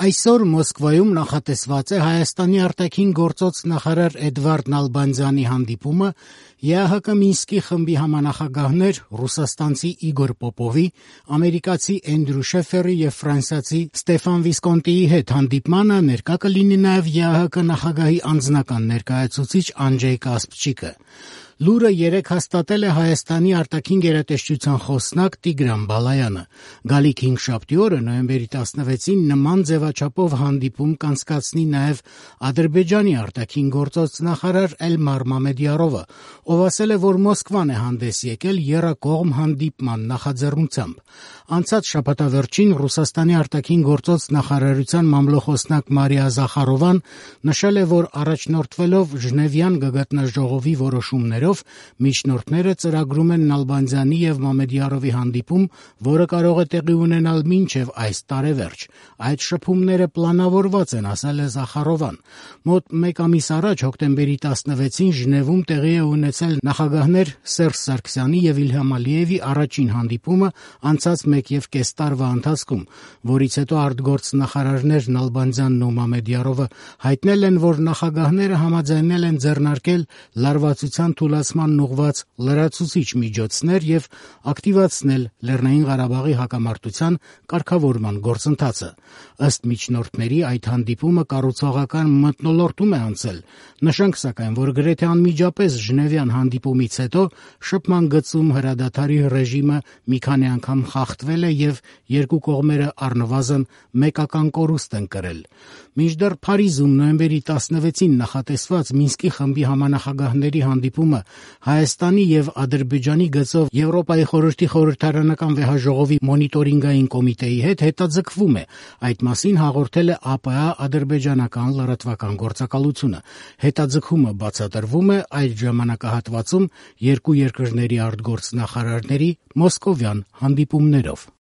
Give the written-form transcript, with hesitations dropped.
Այսօր Մոսկվայում նախատեսված է Հայաստանի արտաքին գործոց նախարար Էդվարդ Նալբանդյանի հանդիպումը ԵԱՀԿ Մինսկի խմբի համանախագահներ ռուսաստանցի Իգոր Պոպովի, ամերիկացի Էնդրու Շեֆերի եւ ֆրանսիացի Ստեֆան Վիսկոնտիի հետ հանդիպմանը ներկա կլինի նաեւ ԵԱՀԿ նախագահի անձնական ներկայացուցիչ Անջեյ Կասպչիկը։ Լուրը երեկ հաստատել է Հայաստանի արտաքին գերատեսչության խոսնակ Տիգրան Բալայանը։ Գալիք հինգշաբթի օրը նոյեմբերի 16-ին նման ձևաչափով հանդիպում կանցկացնի նաև Ադրբեջանի արտաքին գործոց նախարար Էլմար Մամեդյարովը, ով ասել է, որ Մոսկվան է հանդես եկել եռակողմ հանդիպման նախաձեռնությամբ։ Անցած շաբաթավերջին Ռուսաստանի արտաքին գործոց նախարարության մամլոխոսնակ Մարիա Զախարովան նշել է, որ առաջնորդվելով Ժնևյան գագաթնաժողովի որոշումներով միջնորդները ծրագրում են Նալբանդյանի եւ Մամեդյարովի հանդիպում, որը կարող է տեղի ունենալ մինչեւ այս տարեվերջ։ Այդ շփումները պլանավորված են, ասել է Զախարովան։ Մոտ մեկ ամիս առաջ հոկտեմբերի 16-ին Ժնևում տեղի է ունեցել նախագահներ Սերժ Սարգսյանի եւ Իլհամ Ալիևի առաջին հանդիպումը անցած 1.5 տարվա ընթացքում, որից հետո արտգործնախարարներ Նալբանդյանն ու Մամեդյարովը հայտնել են, որ նախագահները համաձայնել են ձեռնարկել լարվածության թուլացմանն ուղղված լրացուցիչ միջոցներ եւ ակտիվացնել Լեռնային Ղարաբաղի հակամարտության կարգավորման գործընթացը։ Ըստ միջնորդների այդ հանդիպումը կառուցողական մթնոլորտում է անցել։ Նշենք սակայն, որ գրեթե անմիջապես Ժնևյան հանդիպումից հետո շփման գծում հրադադարի ռեժիմը մի քանի անգամ խախտվել է եւ երկու կողմերը առնվազն մեկական կորուստ են կրել։ Մինչդեռ Փարիզում նոյեմբերի 16-ին նախատեսված Մինսկի խմբի համանախագահների հանդիպումը Հայաստանի եւ Ադրբեջանի գծով Եվրոպայի խորհրդի խորհրդարանական վեհաժողովի մոնիտորինգային կոմիտեի հետ հետաձգվում է։ Այդ մասին հաղորդել է ԱՊՀ ադրբեջանական լրատվական գործակալությունը։ Հետաձգումը բացատրվում է այդ ժամանակահատվածում երկու երկրների արտգործնախարարների մոսկովյան հանդիպումներով։